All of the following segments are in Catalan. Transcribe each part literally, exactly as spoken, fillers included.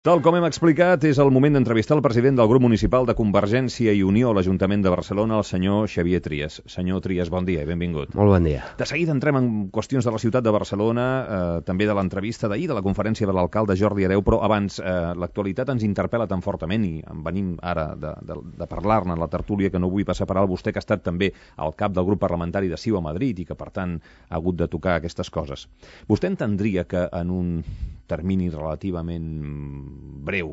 Tal com hem explicat, és el moment d'entrevistar el president del grup municipal de Convergència i Unió a l'Ajuntament de Barcelona, el senyor Xavier Trias. Senyor Trias, bon dia i benvingut. Molt bon dia. De seguida entrem en qüestions de la ciutat de Barcelona, eh, també de l'entrevista d'ahir, de la conferència de l'alcalde Jordi Hereu, però abans, eh, l'actualitat ens interpel·la tan fortament i en venim ara de, de, de parlar-ne en la tertúlia que no vull passar per alt. Vostè que ha estat també al cap del grup parlamentari de C I U a Madrid i que, per tant, ha hagut de tocar aquestes coses. Vostè entendria que en un termini relativament breu,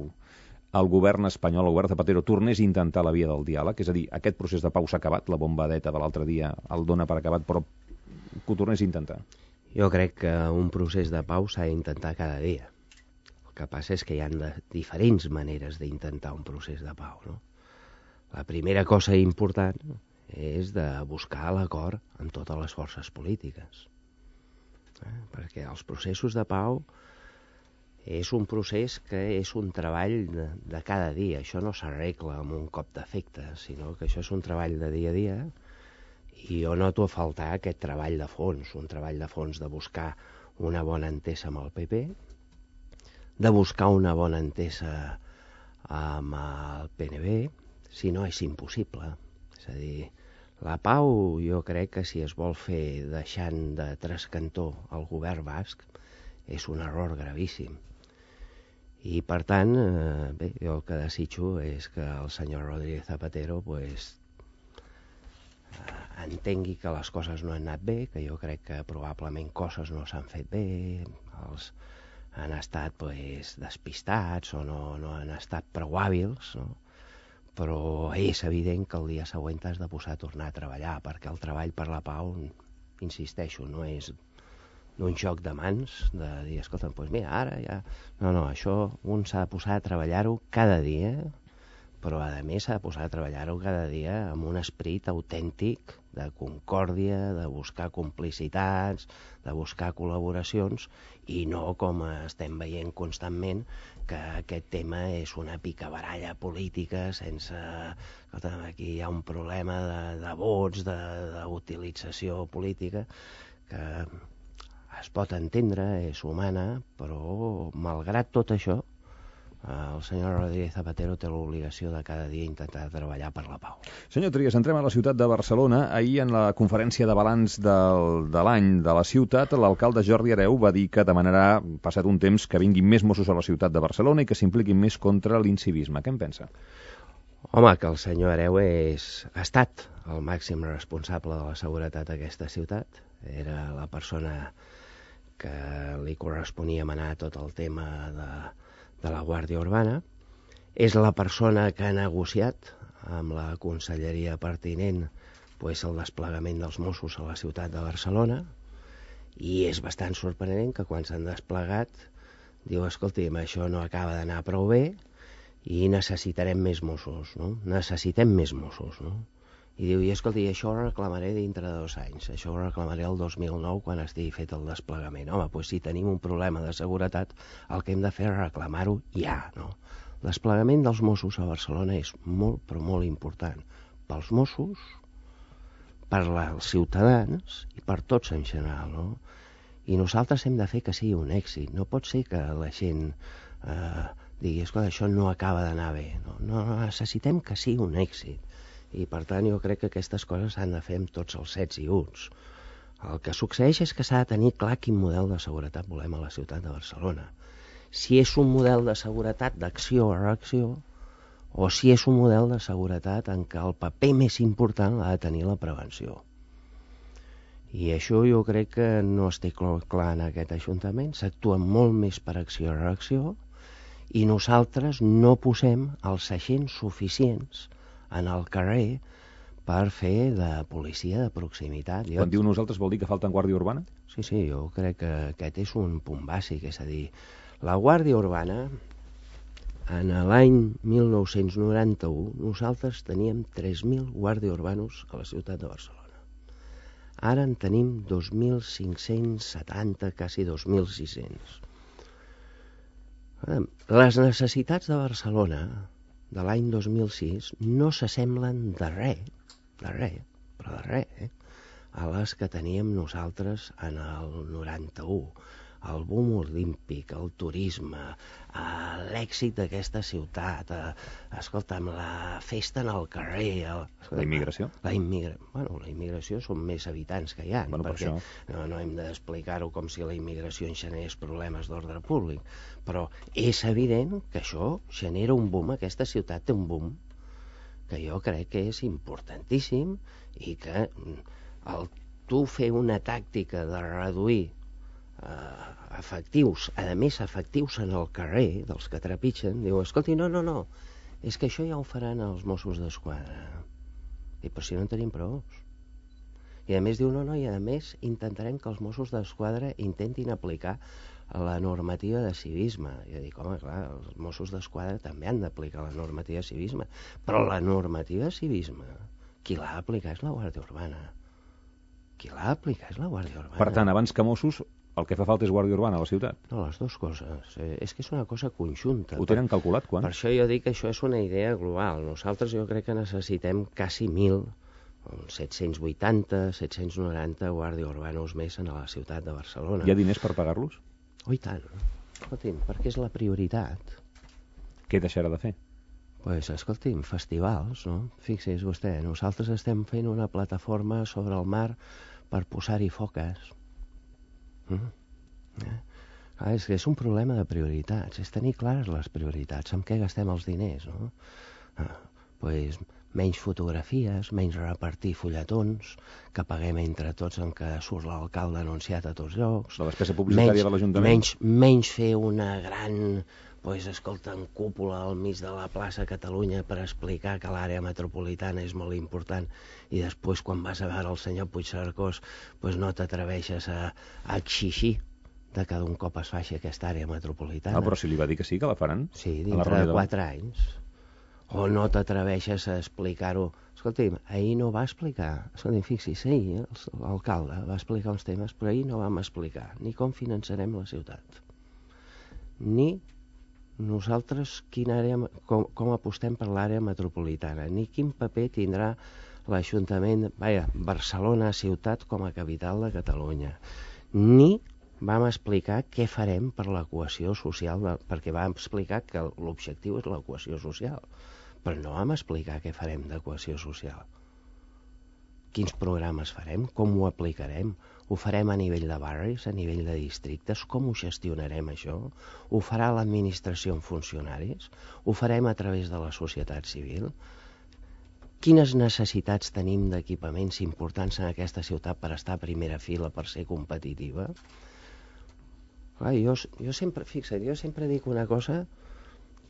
el govern espanyol, el govern Zapatero, tornés a intentar la via del diàleg? És a dir, aquest procés de pau s'ha acabat, la bombadeta de l'altre dia el dona per acabat, però que ho tornés a intentar? Jo crec que un procés de pau s'ha d'intentar cada dia. El que passa és que hi ha de diferents maneres d'intentar un procés de pau, no? La primera cosa important és de buscar l'acord amb totes les forces polítiques. Eh? Perquè els processos de pau és un procés que és un treball de, de cada dia. Això no s'arregla amb un cop d'efecte, sinó que això és un treball de dia a dia, i jo noto a faltar aquest treball de fons, un treball de fons de buscar una bona entesa amb el P P, de buscar una bona entesa amb el P N B, si no és impossible. És a dir, la pau jo crec que si es vol fer deixant de trascantó el govern basc és un error gravíssim. I, per tant, eh, bé, jo el que desitjo és que el senyor Rodríguez Zapatero pues, eh, entengui que les coses no han anat bé, que jo crec que probablement coses no s'han fet bé, els han estat pues, despistats o no, no han estat prou hàbils, no? Però és evident que el dia següent has de posar a tornar a treballar, perquè el treball per la pau, insisteixo, no és d'un joc de mans, de dir, escolta, doncs mira, ara ja... No, no, això un s'ha de posar a treballar-ho cada dia, però a més s'ha de posar a treballar-ho cada dia amb un esperit autèntic de concòrdia, de buscar complicitats, de buscar col·laboracions, i no com estem veient constantment que aquest tema és una picabaralla política sense... Escolta, aquí hi ha un problema de, de vots, d'utilització política, que es pot entendre, és humana, però malgrat tot això, el senyor Rodríguez Zapatero té l'obligació de cada dia intentar treballar per la pau. Senyor Trias, entrem a la ciutat de Barcelona. Ahir, en la conferència de balanç del, de l'any de la ciutat, l'alcalde Jordi Hereu va dir que demanarà, passat un temps, que vinguin més Mossos a la ciutat de Barcelona i que s'impliquin més contra l'incivisme. Què en pensa? Home, que el senyor Hereu és, ha estat el màxim responsable de la seguretat d'aquesta ciutat. Era la persona que li corresponia manar tot el tema de, de la Guàrdia Urbana. És la persona que ha negociat amb la conselleria pertinent pues, el desplegament dels Mossos a la ciutat de Barcelona, i és bastant sorprenent que quan s'han desplegat diu, escolti'm, això no acaba d'anar prou bé i necessitarem més Mossos, no? Necessitem més Mossos, no? I diu, i escolti, això ho reclamaré dintre de dos anys, això ho reclamaré el dos mil nou quan estigui fet el desplegament. Home, doncs si tenim un problema de seguretat, el que hem de fer és reclamar-ho ja, no? El desplegament dels Mossos a Barcelona és molt, però molt important pels Mossos, per als ciutadans i per tots en general, no? I nosaltres hem de fer que sigui un èxit. No pot ser que la gent eh, digui, escolta, això no acaba d'anar bé. No, no, necessitem que sigui un èxit. I per tant jo crec que aquestes coses s'han de fer amb tots els sets i uts. El que succeeix és que s'ha de tenir clar quin model de seguretat volem a la ciutat de Barcelona. Si és un model de seguretat d'acció a reacció o si és un model de seguretat en què el paper més important l'ha de tenir la prevenció. I això jo crec que no es té clar en aquest Ajuntament. S'actua molt més per acció a reacció i nosaltres no posem els agents suficients en el carrer per fer de policia de proximitat. Quan diu nosaltres vol dir que falta Guàrdia Urbana? Sí, sí, jo crec que aquest és un punt bàsic, és a dir, la Guàrdia Urbana, en l'any mil nou-cents noranta-u, nosaltres teníem tres mil guàrdia urbanos a la ciutat de Barcelona. Ara en tenim dos mil cinc-cents setanta, quasi dos mil sis-cents. Les necessitats de Barcelona de l'any dos mil sis no s'assemblen de res, de res, però de res, eh? a les que teníem nosaltres en el noranta-u. el boom olímpic, el turisme, l'èxit d'aquesta ciutat, escolta'm, la festa en el carrer... El... La immigració? La, immigra... bueno, la immigració són més habitants que hi ha, bueno, perquè per això... no, no hem d'explicar-ho com si la immigració en generés problemes d'ordre públic, però és evident que això genera un boom, aquesta ciutat té un boom, que jo crec que és importantíssim i que el tu fer una tàctica de reduir eh, efectius, a més efectius en el carrer, dels que trepitgen, diu, escolti, no, no, no, és que això ja ho faran els Mossos d'Esquadra. I però si no en tenim prou. I a més diu, no, no, i a més intentarem que els Mossos d'Esquadra intentin aplicar la normativa de civisme. I jo dic, home, clar, els Mossos d'Esquadra també han d'aplicar la normativa de civisme, però la normativa de civisme, qui l'ha d'aplicar és la Guàrdia Urbana. Qui l'ha d'aplicar és la Guàrdia Urbana. Per tant, abans que Mossos, el que fa falta és Guàrdia Urbana a la ciutat. No, les dues coses. Eh, és que és una cosa conjunta. Ho tenen calculat, quan? Per això jo dic que això és una idea global. Nosaltres jo crec que necessitem quasi mil, set-cents vuitanta, set-cents noranta guàrdia urbanos més a la ciutat de Barcelona. Hi ha diners per pagar-los? Oh, i tant. Escolti'm, perquè és la prioritat. Què deixarà de fer? Pues, escolti'm, festivals, no? Fixi's vostè, nosaltres estem fent una plataforma sobre el mar per posar-hi foques. Mm? Eh? Ah, és que és un problema de prioritats, és tenir clares les prioritats, amb què gastem els diners, no? Ah, pues, menys fotografies, menys repartir fulletons, que paguem entre tots en què surt l'alcalde anunciat a tots llocs. La despesa publicitària menys, de l'Ajuntament. Menys, menys fer una gran... pues, escolta, en cúpula al mig de la plaça Catalunya per explicar que l'àrea metropolitana és molt important i després quan vas a veure el senyor Puigcercós pues, no t'atreveixes a, a exigir de que d'un cop es faci aquesta àrea metropolitana. Ah, però si li va dir que sí, que la faran? Sí, dintre de quatre anys. O no t'atreveixes a explicar-ho. Escolti'm, ahir no va explicar. Escolti'm, fixi's, ahir l'alcalde va explicar uns temes, però ahir no vam explicar ni com finançarem la ciutat, ni nosaltres quina àrea, com, com apostem per l'àrea metropolitana, ni quin paper tindrà l'Ajuntament, vaja, Barcelona ciutat com a capital de Catalunya, ni vam explicar què farem per la cohesió social, de, perquè vam explicar que l'objectiu és la cohesió social, però no vam explicar què farem de cohesió social. Quins programes farem, com ho aplicarem, ho farem a nivell de barris, a nivell de districtes, com ho gestionarem això, ho farà l'administració en funcionaris, ho farem a través de la societat civil. Quines necessitats tenim d'equipaments importants en aquesta ciutat per estar a primera fila, per ser competitiva? Clar, jo, jo sempre, fixa't, jo sempre dic una cosa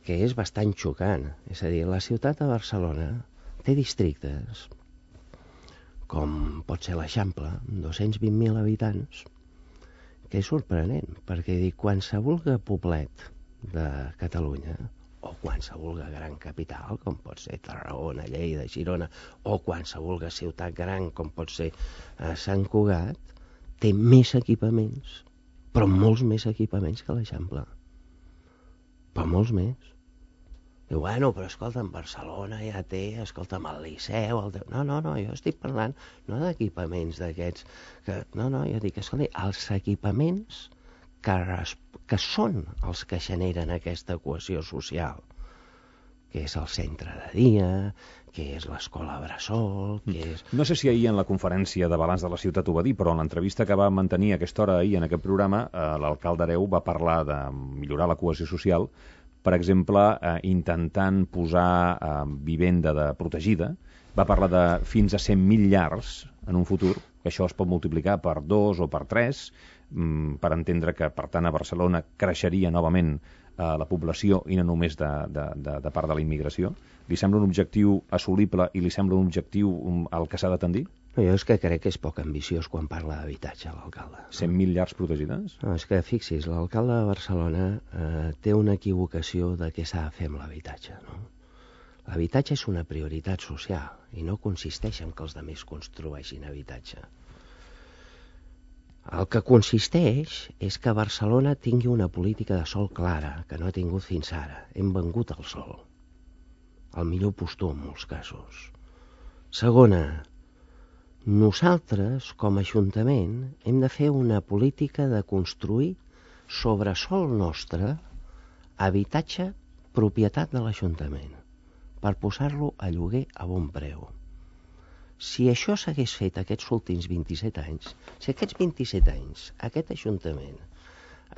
que és bastant xocant, és a dir, la ciutat de Barcelona té districtes com pot ser l'Eixample, amb dos-cents vint mil habitants, que és sorprenent, perquè dic, qualsevol poblet de Catalunya, o qualsevol gran capital, com pot ser Tarragona, Lleida, Girona, o qualsevol ciutat gran, com pot ser eh, Sant Cugat, té més equipaments, però molts més equipaments que l'Eixample. Però molts més. Diu, bueno, però escolta, en Barcelona ja té, escolta'm, el Liceu, el... No, no, no, jo estic parlant no d'equipaments d'aquests, que... no, no, jo dic, escolta, els equipaments que, res... que són els que generen aquesta cohesió social, que és el centre de dia, que és l'escola Bressol, que és... No sé si ahir en la conferència de balanç de la ciutat ho va dir, però en l'entrevista que va mantenir a aquesta hora ahir en aquest programa, eh, l'alcalde Hereu va parlar de millorar la cohesió social, per exemple, eh, intentant posar eh, vivenda de protegida, va parlar de fins a cent mil llars en un futur, que això es pot multiplicar per dos o per tres, mm, per entendre que, per tant, a Barcelona creixeria novament eh, la població i no només de, de, de, de part de la immigració. Li sembla un objectiu assolible i li sembla un objectiu um, al que s'ha de tendir? No, jo és que crec que és poc ambiciós quan parla d'habitatge, l'alcalde. cent mil llars protegides? No, és que fixis, l'alcalde de Barcelona eh, té una equivocació de què s'ha de fer amb l'habitatge, no? L'habitatge és una prioritat social i no consisteix en que els altres construeixin habitatge. El que consisteix és que Barcelona tingui una política de sòl clara, que no ha tingut fins ara. Hem vengut el sòl. El millor postor en molts casos. Segona, nosaltres, com a Ajuntament, hem de fer una política de construir sobre sol nostre, habitatge propietat de l'Ajuntament, per posar-lo a lloguer a bon preu. Si això s'hagués fet aquests últims vint-i-set anys, si aquests vint-i-set anys aquest Ajuntament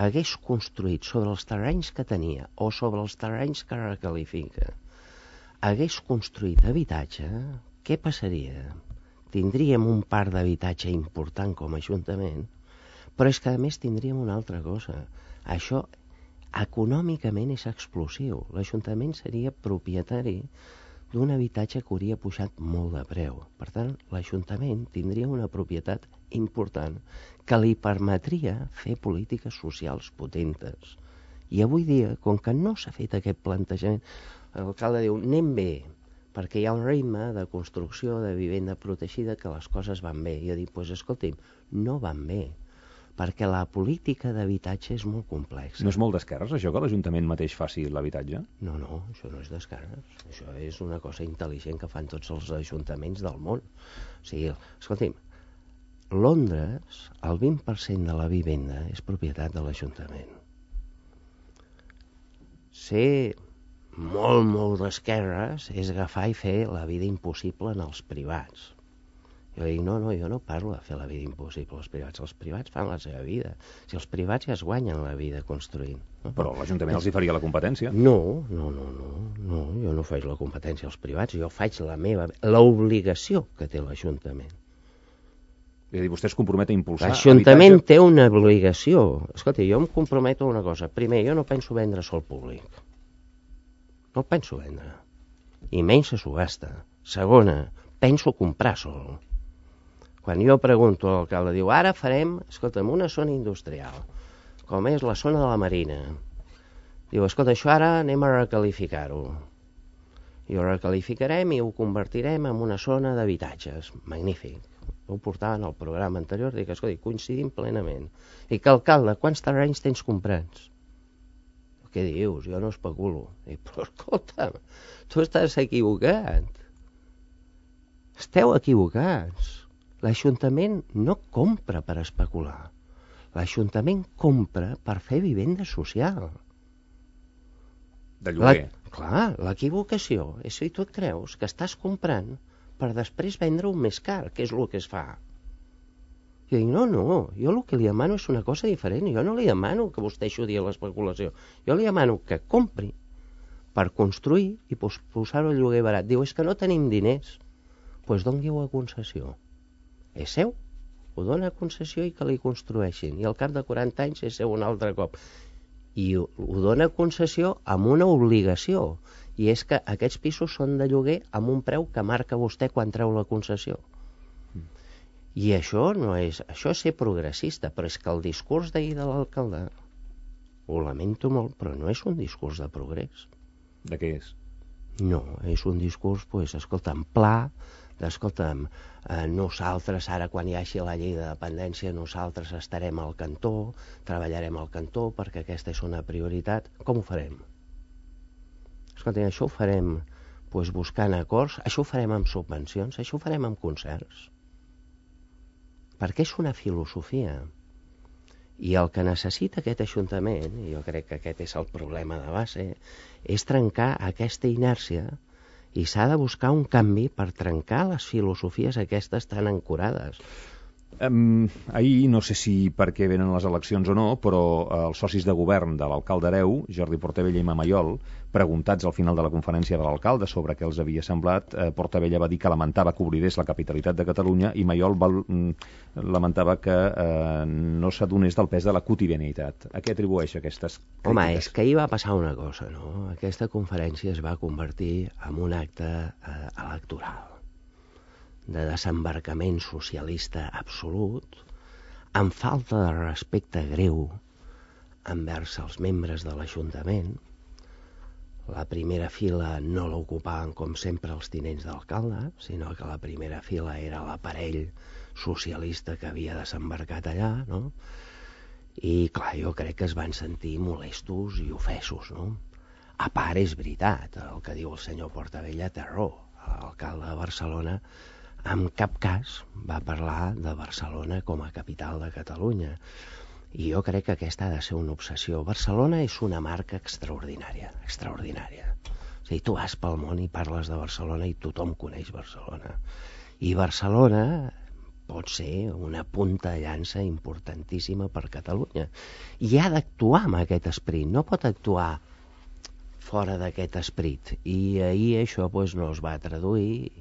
hagués construït sobre els terrenys que tenia o sobre els terrenys que recalifica, hagués construït habitatge, què passaria? Tindríem un parc d'habitatge important com a Ajuntament, però és que a més tindríem una altra cosa. Això econòmicament és explosiu. L'Ajuntament seria propietari d'un habitatge que hauria pujat molt de preu. Per tant, l'Ajuntament tindria una propietat important que li permetria fer polítiques socials potentes. I avui dia, com que no s'ha fet aquest plantejament, l'alcalde diu, anem bé, perquè hi ha un ritme de construcció de vivenda protegida que les coses van bé. I jo dic, doncs escolti'm, no van bé, perquè la política d'habitatge és molt complexa. No és molt d'esquerres, això, que l'Ajuntament mateix faci l'habitatge? No, no, això no és d'esquerres. Això és una cosa intel·ligent que fan tots els ajuntaments del món. O sigui, escolti'm, Londres, el vint per cent de la vivenda és propietat de l'Ajuntament. Ser molt, molt d'esquerres és agafar i fer la vida impossible en els privats. Jo dic, no, no, jo no parlo de fer la vida impossible als privats. Els privats fan la seva vida. Si els privats ja es guanyen la vida construint. No? Però l'Ajuntament els hi faria la competència. No, no, no, no, no, jo no faig la competència als privats, jo faig la meva, l'obligació que té l'Ajuntament. És a dir, vostè es compromet a impulsar L'Ajuntament habitatge... té una obligació. Escolta, jo em comprometo a una cosa. Primer, jo no penso vendre sol públic. No el penso vendre. I menys a subhasta. Segona, penso comprar sol. Quan jo pregunto a l'alcalde, diu, ara farem, escolta'm, una zona industrial, com és la zona de la Marina. Diu, escolta, això ara anem a recalificar-ho. I ho recalificarem i ho convertirem en una zona d'habitatges. Magnífic. Ho portava en el programa anterior, dic, escolta, coincidim plenament. I que, alcalde, quants terrenys tens comprats? Què dius? Jo no especulo. Dic, però escolta'm, tu estàs equivocat. Esteu equivocats. L'Ajuntament no compra per especular. L'Ajuntament compra per fer vivenda social. De lloguer. La, clar, l'equivocació és si tu et creus que estàs comprant per després vendre-ho més car, que és el que es fa. Jo dic, no, no, jo el que li demano és una cosa diferent. Jo no li demano que vostè ajudi a l'especulació. Jo li demano que compri per construir i posar-ho a lloguer barat. Diu, és que no tenim diners. Doncs doni-ho a concessió. És seu, ho dona a concessió i que li construeixin. I al cap de quaranta anys és seu un altre cop. I ho, ho dona a concessió amb una obligació. I és que aquests pisos són de lloguer amb un preu que marca vostè quan treu la concessió. Mm. I això no és... Això és ser progressista, però és que el discurs d'ahir de l'alcalde, ho lamento molt, però no és un discurs de progrés. De què és? No, és un discurs, pues, escolta'm, pla, d'escolta'm, eh, nosaltres ara quan hi hagi la llei de dependència nosaltres estarem al cantó, treballarem al cantó perquè aquesta és una prioritat. Com ho farem? Escolta'm, això ho farem pues, buscant acords, això ho farem amb subvencions, això ho farem amb concerts. Perquè és una filosofia. I el que necessita aquest Ajuntament, i jo crec que aquest és el problema de base, és trencar aquesta inèrcia i s'ha de buscar un canvi per trencar les filosofies aquestes tan ancorades. Um, ahir, no sé si perquè venen les eleccions o no, però uh, els socis de govern de l'alcalde Hereu, Jordi Portabella i Mamaiol, preguntats al final de la conferència de l'alcalde sobre què els havia semblat, eh, Portabella va dir que lamentava que oblidés la capitalitat de Catalunya i Maiol va, mm, lamentava que eh, no s'adonés del pes de la quotidianitat. A què atribueix aquestes crítiques? Home, és que ahir va passar una cosa, no? Aquesta conferència es va convertir en un acte eh, electoral de desembarcament socialista absolut, amb falta de respecte greu envers els membres de l'Ajuntament. La primera fila no l'ocupaven, com sempre, els tinents d'alcalde, sinó que la primera fila era l'aparell socialista que havia desembarcat allà, no? I, clar, jo crec que es van sentir molestos i ofesos, no? A part, és veritat, el que diu el senyor Portabella té raó. L'alcalde de Barcelona en cap cas va parlar de Barcelona com a capital de Catalunya. I jo crec que aquesta ha de ser una obsessió. Barcelona és una marca extraordinària, extraordinària. O sigui, tu vas pel món i parles de Barcelona i tothom coneix Barcelona. I Barcelona pot ser una punta de llança importantíssima per Catalunya. I ha d'actuar amb aquest esperit, no pot actuar fora d'aquest esperit. I ahir això pues, no es va traduir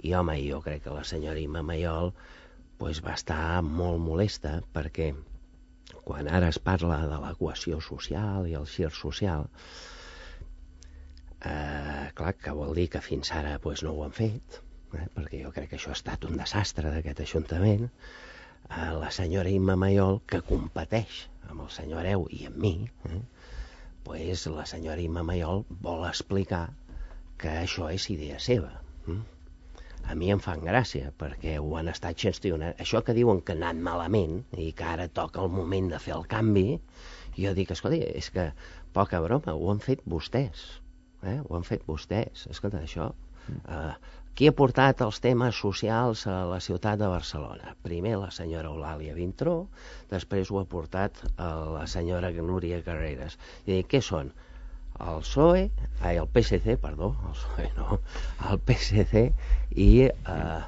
i, home, jo crec que la senyora Imma Mayol pues, va estar molt molesta perquè quan ara es parla de la cohesió social i el gir social, eh, clar, que vol dir que fins ara pues, no ho han fet, eh, perquè jo crec que això ha estat un desastre d'aquest Ajuntament. Eh, la senyora Imma Mayol, que competeix amb el senyor Hereu i amb mi, eh, pues la senyora Imma Mayol vol explicar que això és idea seva. Eh? A mi em fan gràcia, perquè ho han estat gestionant. Això que diuen que ha anat malament i que ara toca el moment de fer el canvi, jo dic, escolta, és que poca broma, ho han fet vostès. Eh? Ho han fet vostès. Escolta, això... Eh, qui ha portat els temes socials a la ciutat de Barcelona? Primer la senyora Eulàlia Vintró, després ho ha portat la senyora Núria Carreras. I dic, què són? El P S O E, ai, el P S C, perdó, el P S O E no, el P S C i, eh,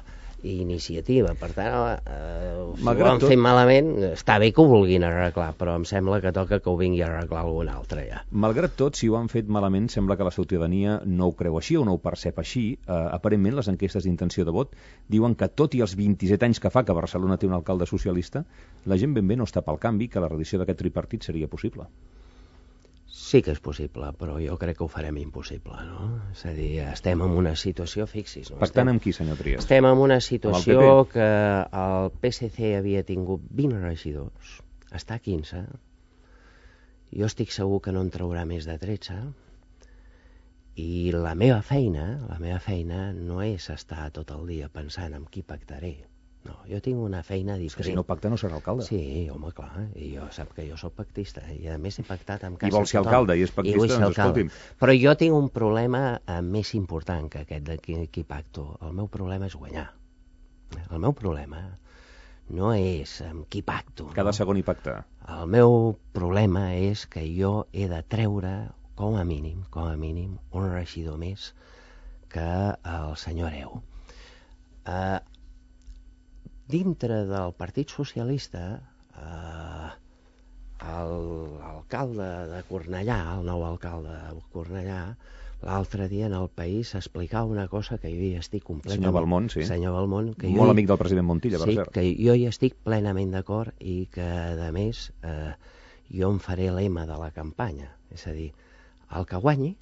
i Iniciativa. Per tant, eh, si ho han tot... fet malament, està bé que ho vulguin arreglar, però em sembla que toca que ho vingui a arreglar algun altre ja. Malgrat tot, si ho han fet malament, sembla que la ciutadania no ho creu així o no ho percep així. Eh, aparentment, les enquestes d'intenció de vot diuen que tot i els vint-i-set anys que fa que Barcelona té un alcalde socialista, la gent ben bé no està pel canvi, que la reedició d'aquest tripartit seria possible. Sí que és possible, però jo crec que ho farem impossible, no? És a dir, estem en una situació, fixis... No? Pactant amb qui, senyor Trias? Estem en una situació que el P S C havia tingut vint regidors, està a quinze, jo estic segur que no en traurà més de tretze, i la meva feina, la meva feina no és estar tot el dia pensant en qui pactaré. No, jo tinc una feina diferent. Que si no pacta no serà alcalde. Sí, home, clar, i jo sap que jo sóc pactista, i a més he pactat amb casa I vol ser alcalde i és pactista, doncs escolti'm. Però jo tinc un problema eh, més important que aquest de qui, qui pacto. El meu problema és guanyar. El meu problema no és amb qui pacto. Cada no? segon hi pactar. El meu problema és que jo he de treure, com a mínim, com a mínim, un regidor més que el senyor Hereu. Eh... Dintre del Partit Socialista, eh, l'alcalde de Cornellà, el nou alcalde de Cornellà, l'altre dia en El País explicava una cosa que jo hi estic completament... Senyor Balmont, sí. Senyor Balmont, que Molt jo hi... amic del president Montilla, per sí, cert. que jo hi estic plenament d'acord i que, a més, eh, jo en faré lema de la campanya. És a dir, el que guanyi...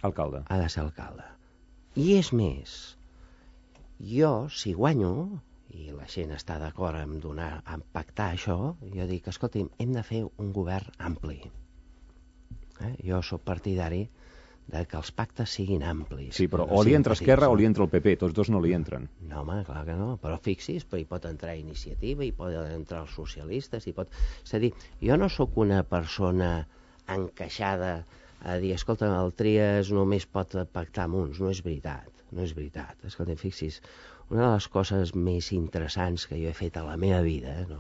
Alcalde. Ha de ser alcalde. I és més... Jo, si guanyo, i la gent està d'acord en, donar, en pactar això, jo dic, escolti'm, hem de fer un govern ampli. Eh? Jo sóc partidari de que els pactes siguin amplis. Sí, però o li entra Esquerra o li entra el P P, tots dos no li entren. No, home, clar que no, però fixis, però hi pot entrar Iniciativa, hi pot entrar els socialistes, hi pot... És a dir, jo no sóc una persona encaixada a dir, escolta, el Trias només pot pactar amb uns, no és veritat. No és veritat. Escolta, fixis, una de les coses més interessants que jo he fet a la meva vida, no?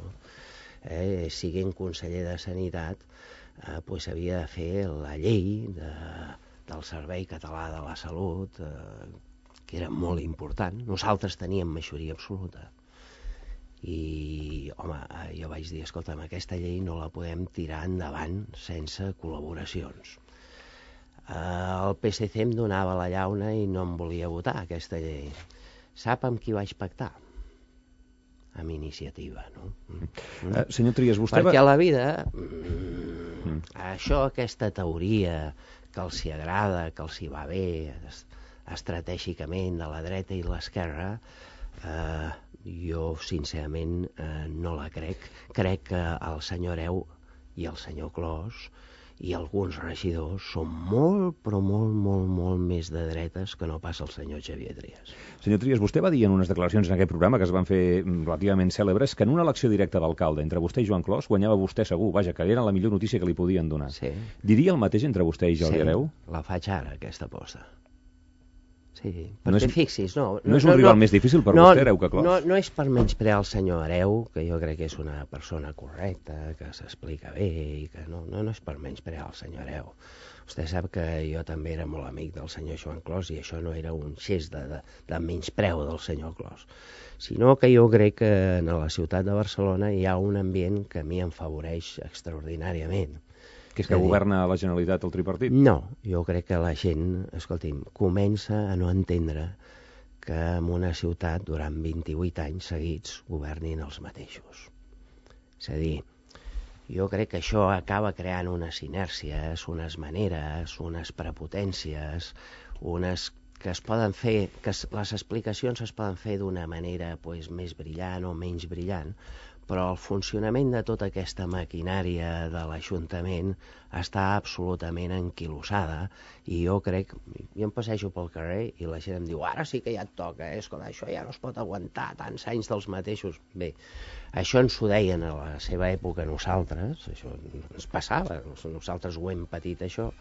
eh, siguent conseller de Sanitat, eh, pues havia de fer la llei de, del Servei Català de la Salut, eh, que era molt important. Nosaltres teníem majoria absoluta. I, home, jo vaig dir, escolta, amb aquesta llei no la podem tirar endavant sense col·laboracions. El P S C em donava la llauna i no em volia votar aquesta llei. Sap amb qui vaig pactar? Amb Iniciativa, no? Mm. Uh, senyor Trias, vostè Perquè va... a la vida, mm, mm. això, aquesta teoria que els hi agrada, que els hi va bé estratègicament de la dreta i l'esquerra, eh, jo sincerament eh, no la crec. Crec que el senyor Hereu i el senyor Clos i alguns regidors són molt, però molt, molt, molt més de dretes que no pas el senyor Xavier Trias. Senyor Trias, vostè va dir en unes declaracions en aquest programa que es van fer relativament cèlebres que en una elecció directa d'alcalde entre vostè i Joan Clos guanyava vostè segur, vaja, que era la millor notícia que li podien donar. Sí. Diria el mateix entre vostè i Jordi sí, Hereu? La faig ara, aquesta aposta. Sí, perquè no és, fixis, no... No, no és un no, rival no, més difícil per no, vostè, Hereu, que Clos? No, no és per menysprear el senyor Hereu, que jo crec que és una persona correcta, que s'explica bé, i que no, no, no és per menysprear el senyor Hereu. Vostè sap que jo també era molt amic del senyor Joan Clos i això no era un gest de, de, de menyspreu del senyor Clos, sinó que jo crec que en la ciutat de Barcelona hi ha un ambient que a mi em afavoreix extraordinàriament. Que és que governa la Generalitat el tripartit? No, jo crec que la gent, escolti'm, comença a no entendre que en una ciutat durant vint-i-vuit anys seguits governin els mateixos. És a dir, jo crec que això acaba creant unes inèrcies, unes maneres, unes prepotències, unes que es poden fer, que les explicacions es poden fer d'una manera pues, més brillant o menys brillant, però el funcionament de tota aquesta maquinària de l'Ajuntament està absolutament enquilossada i jo crec, jo em passejo pel carrer i la gent em diu, ara sí que ja et toca, eh? Escolta, això ja no es pot aguantar tants anys dels mateixos. Bé, això ens ho deien a la seva època nosaltres, això ens passava, nosaltres ho hem patit això,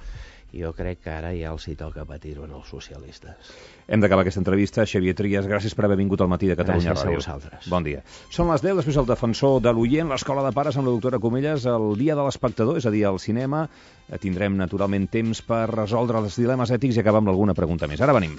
i jo crec que ara ja els hi toca patir-ho als socialistes. Hem d'acabar aquesta entrevista. Xavier Trias, gràcies per haver vingut al Matí de Catalunya Ràdio. Gràcies a vosaltres. Bon dia. Són les deu, després el defensor de l'oient, l'Escola de Pares amb la doctora Comelles, el dia de l'espectador, és a dir, al cinema. Tindrem naturalment temps per resoldre els dilemes ètics i acabar amb alguna pregunta més. Ara venim.